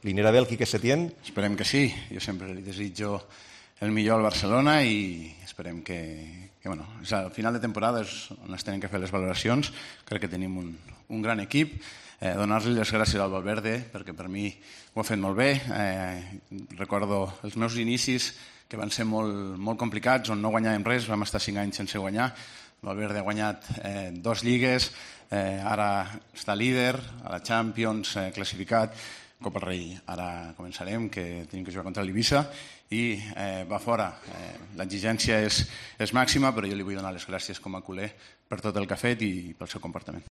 Li anirà bé el Quique Setién? Esperem que sí. Jo sempre li desitjo el millor al Barcelona i esperem que bueno, al final de temporada és on es tenen que fer les valoracions. Crec que tenim un gran equip. Donar-li les gràcies al Valverde perquè per mi ho ha fet molt bé. Recordo els meus inicis que van ser molt complicats, on no guanyàvem res, vam estar 5 anys sense guanyar. Valverde ha guanyat 2 lligues, ara està líder, a la Champions, classificat, Copa del Rei. Ara començarem, que tenim que jugar contra l'Eivissa i va fora. L'exigència és màxima, però jo li vull donar les gràcies com a culer per tot el que ha fet i pel seu comportament.